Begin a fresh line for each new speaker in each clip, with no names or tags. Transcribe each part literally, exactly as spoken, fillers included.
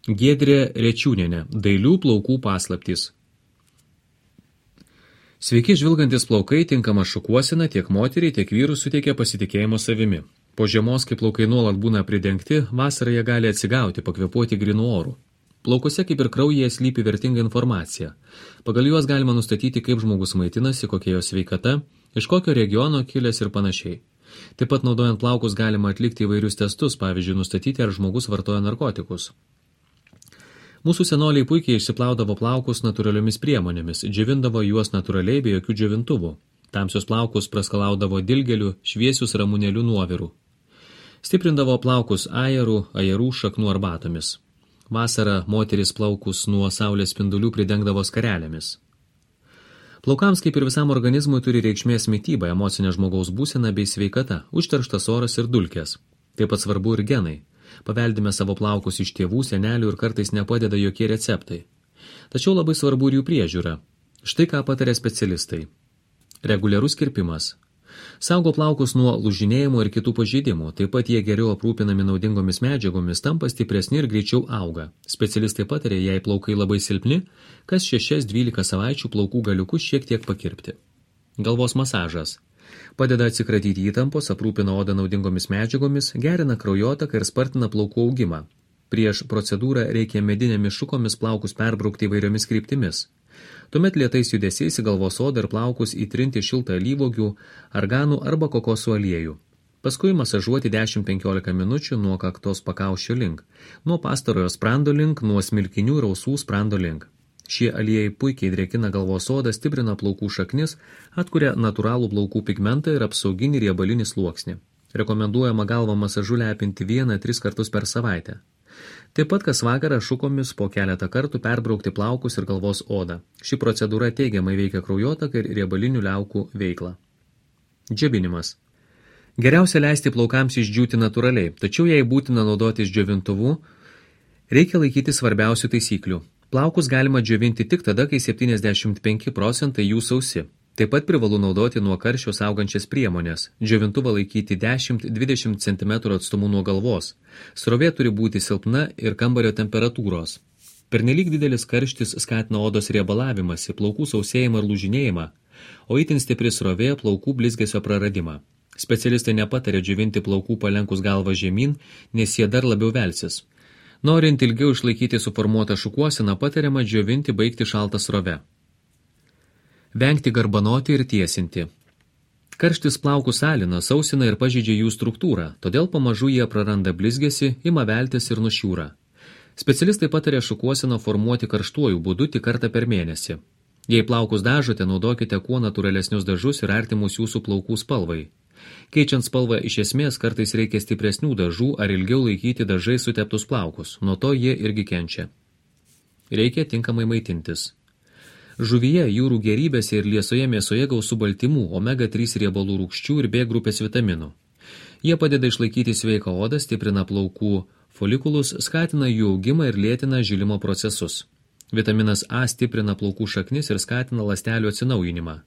Giedrė Rečiūnienė, dailių plaukų paslaptys. Sveiki žvilgantis plaukai tinkama šukuosena tiek moteriai, tiek vyrų suteikia pasitikėjimo savimi. Po žiemos, kai plaukai nuolat būna pridengti, vasarą jie gali atsigauti, pakvėpuoti grinu oru. Plaukose kaip ir kraujyje slypi vertinga informacija. Pagal juos galima nustatyti, kaip žmogus maitinasi, kokia jo sveikata, iš kokio regiono kilęs ir panašiai. Taip pat naudojant plaukus galima atlikti įvairius testus, pavyzdžiui, nustatyti, ar žmogus vartoja narkotikus. Mūsų senoliai puikiai išsiplaudavo plaukus natūraliomis priemonėmis, džiovindavo juos natūraliai be jokių džiovintuvų. Tamsius plaukus praskalaudavo dilgeliu, šviesius ramunėlių nuovirų. Stiprindavo plaukus ajerų, ajerų šaknų arbatomis. Vasarą moteris plaukus nuo saulės spindulių pridengdavo skarelėmis. Plaukams, kaip ir visam organizmui, turi reikšmės mityba, emocinė žmogaus būsena bei sveikata, užterštas oras ir dulkės. Taip pat svarbu ir genai. Paveldime savo plaukus iš tėvų, senelių ir kartais nepadeda jokie receptai. Tačiau labai svarbu ir jų priežiūra. Štai ką pataria specialistai. Reguliarus kirpimas. Saugo plaukus nuo lūžinėjimo ir kitų pažeidimų, taip pat jie geriau aprūpinami naudingomis medžiagomis, tampa stipresni ir greičiau auga. Specialistai patarė, jei plaukai labai silpni, kas šešias dvylika savaičių plaukų galiukus šiek tiek pakirpti. Galvos masažas. Padeda atsikratyti įtampos, aprūpina odą naudingomis medžiagomis, gerina kraujotaką ir spartina plaukų augimą. Prieš procedūrą reikia medinėmis šukomis plaukus perbraukti įvairiomis kryptimis. Tuomet lėtais judesiais į galvos odą ir plaukus įtrinti šiltą alyvuogių, arganų arba kokosų aliejų. Paskui masažuoti dešimt penkiolika minučių nuo kaktos pakaušio link, nuo pastarojo sprando link, nuo smilkinių ir ausų sprando link. Šie aliejai puikiai drėkina galvos odą, stiprina plaukų šaknis, atkuria natūralų plaukų pigmentą ir apsauginį riebalinį sluoksnį. Rekomenduojama galvą masažu lepinti vieną tris kartus per savaitę. Taip pat kas vakarą šukomis po keletą kartų perbraukti plaukus ir galvos odą. Ši procedūra teigiamai veikia kraujotaką ir riebalinių liaukų veiklą. Džiovinimas. Geriausia leisti plaukams išdžiūti natūraliai, tačiau jei būtina naudotis džiovintuvu, reikia laikyti svarbiausių taisyklių. Plaukus galima džiovinti tik tada, kai septyniasdešimt penki procentai jų sausi. Taip pat privalu naudoti nuo karščio saugančias priemonės. Džiovintuvą laikyti dešimt dvidešimt centimetrų atstumu nuo galvos. Srovė turi būti silpna ir kambario temperatūros. Pernelyg didelis karštis skatina odos riebalavimąsi, plaukų sausėjimą ir lūžinėjimą, o itin stipri srovė plaukų blizgesio praradimą. Specialistai nepatarė džiovinti plaukų palenkus galvą žemyn, nes jie dar labiau velsis. Norint ilgiau išlaikyti suformuotą šukuoseną, patariama džiovinti baigti šaltą srovę. Vengti garbanoti ir tiesinti. Karštis plaukus alina, sausina ir pažeidžia jų struktūrą, todėl pamažu jie praranda blizgesį, ima veltis ir nušiūra. Specialistai patarė šukuoseną formuoti karštuoju būdu tik kartą per mėnesį. Jei plaukus dažote, naudokite kuo natūralesnius dažus ir artimus jūsų plaukų spalvai. Keičiant spalvą iš esmės kartais reikia stipresnių dažų ar ilgiau laikyti dažai suteptus plaukus, nuo to jie irgi kenčia. Reikia tinkamai maitintis. Žuvyje, jūrų gėrybėse ir liesoje mėsoje gausu baltymų, omega trys riebalų rūgščių ir B grupės vitaminų. Jie padeda išlaikyti sveiką odą, stiprina plaukų folikulus, skatina jų augimą ir lėtina žilimo procesus. Vitaminas A stiprina plaukų šaknis ir skatina ląstelių atsinaujinimą.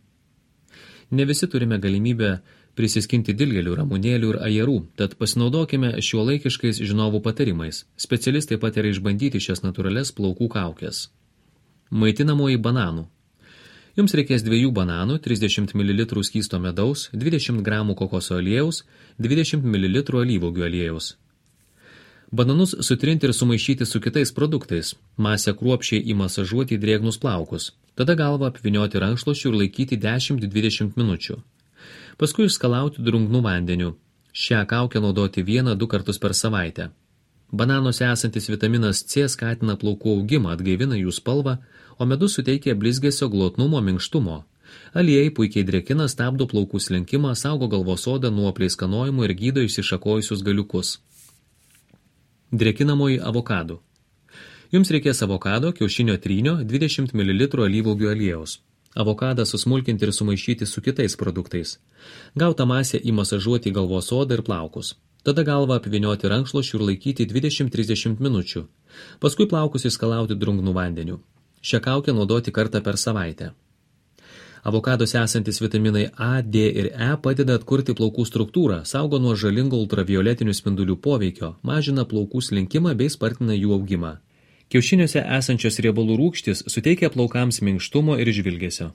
Ne visi turime galimybę prisiskinti dilgelių, ramunėlių ir ajerų, tad pasinaudokime šiuolaikiškais žinovų patarimais. Specialistai pataria išbandyti šias natūralias plaukų kaukės. Maitinamoji bananų. Jums reikės dviejų bananų, trisdešimt mililitrų skysto medaus, dvidešimt gramų kokoso aliejaus, dvidešimt mililitrų alyvuogių aliejaus. Bananus sutrinti ir sumaišyti su kitais produktais. Masę kruopščiai įmasažuoti į drėgnus plaukus. Tada galvą apvynioti rankšluosčiu ir laikyti dešimt dvidešimt minučių. Paskui išskalauti drungnų vandeniu. Šią kaukę naudoti vieną du kartus per savaitę. Bananuose esantis vitaminas C skatina plaukų augimą, atgaivina jų spalvą, o medus suteikia blizgesio, glotnumo, minkštumo. Aliejai puikiai drėkina, stabdo plaukų slinkimą, saugo galvos odą nuo pleiskanojimų ir gydo išsišakojusius galiukus. Drėkinamoji avokadų. Jums reikės avokado, kiaušinio trynio, dvidešimt mililitrų alyvuogių aliejaus. Avokadą susmulkinti ir sumaišyti su kitais produktais. Gautą masę įmasažuoti į galvos odą ir plaukus. Tada galvą apvynioti rankšluosčiu ir laikyti dvidešimt trisdešimt minučių. Paskui plaukus įskalauti drungnų vandeniu. Šią kaukę naudoti kartą per savaitę. Avokaduose esantis vitaminai A, D ir E padeda atkurti plaukų struktūrą, saugo nuo žalingo ultravioletinių spindulių poveikio, mažina plaukų slinkimą bei spartina jų augimą. Kiaušiniuose esančios riebalų rūgštys suteikia plaukams minkštumo ir žvilgesio.